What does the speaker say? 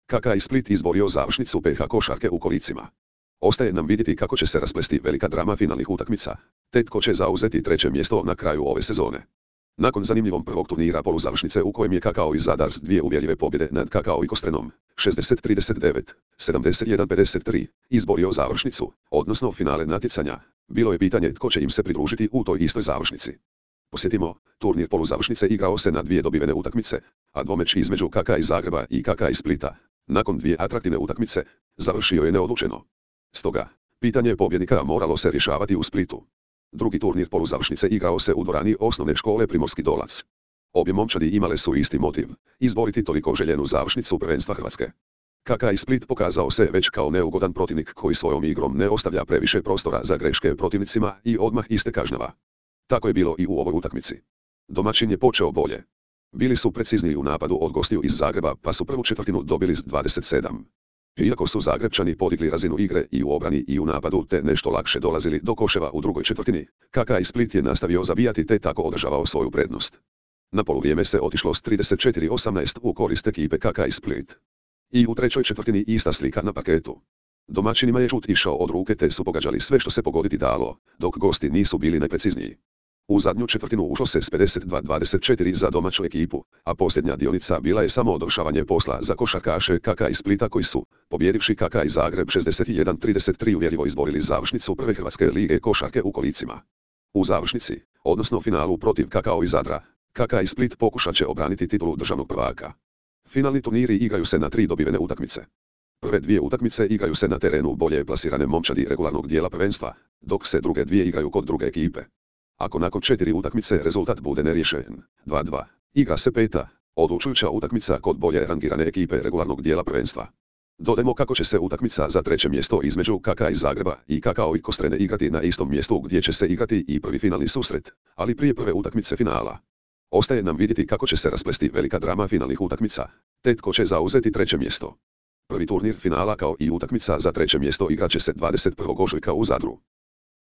KK Split izborio završnicu PH košarke u kolicima. Ostaje nam vidjeti kako će se rasplesti velika drama finalnih utakmica, te tko će zauzeti treće mjesto na kraju ove sezone. Nakon zanimljivog prvog turnira poluzavršnice u kojem je KK iz Zadar s dvije uvjerljive pobjede nad KK i Kostrenom, 60-39, 71-53, izborio završnicu, odnosno finale natjecanja, bilo je pitanje tko će im se pridružiti u toj istoj završnici. Posjetimo, turnir poluzavršnice igrao se na dvije dobivene utakmice, a dvomeč između KK iz Zagreba i KK iz Splita, nakon dvije atraktivne utakmice, završio je neodlučeno. Stoga, pitanje pobjednika moralo se rješavati u Splitu. Drugi turnir poluzavršnice igrao se u dvorani osnovne škole Primorski Dolac. Obje momčadi imale su isti motiv, izboriti toliko željenu završnicu prvenstva Hrvatske. KK i Split pokazao se već kao neugodan protivnik koji svojom igrom ne ostavlja previše prostora za greške protivnicima i odmah iste kažnjava. Tako je bilo i u ovoj utakmici. Domaćin je počeo bolje. Bili su precizniji u napadu od gostiju iz Zagreba pa su prvu četvrtinu dobili s 27. Iako su Zagrebčani podigli razinu igre i u obrani i u napadu te nešto lakše dolazili do koševa u drugoj četvrtini, KK i Split je nastavio zabijati te tako održavao svoju prednost. Na poluvrijeme se otišlo s 34-18 u korist ekipe KK i Split. I u trećoj četvrtini ista slika na parketu. Domaćinima je šut išao od ruke te su pogađali sve što se pogoditi dalo, dok gosti nisu bili najprecizniji. U zadnju četvrtinu ušlo se s 52-24 za domaću ekipu, a posljednja dionica bila je samo odvršavanje posla za košarkaše KK iz Splita koji su, pobjedivši KK iz Zagreb 61-33 uvjerljivo izborili završnicu prve Hrvatske lige košarke u kolicima. U završnici, odnosno finalu protiv KK iz Zadra, KK iz Split pokušat će obraniti titulu državnog prvaka. Finalni turniri igraju se na 3 dobivene utakmice. Prve dvije utakmice igraju se na terenu bolje plasirane momčadi regularnog dijela prvenstva, dok se druge dvije igraju kod druge ekipe. Ako nakon 4 utakmice rezultat bude neriješen, 2-2, igra se peta, odlučujuća utakmica kod bolje rangirane ekipe regularnog dijela prvenstva. Dodajmo kako će se utakmica za treće mjesto između KK iz Zagreba i KK i Kostrene igrati na istom mjestu gdje će se igrati i prvi finalni susret, ali prije prve utakmice finala. Ostaje nam vidjeti kako će se rasplesti velika drama finalnih utakmica, te tko će zauzeti treće mjesto. Prvi turnir finala kao i utakmica za treće mjesto igrat će se 21. ožujka u Zadru.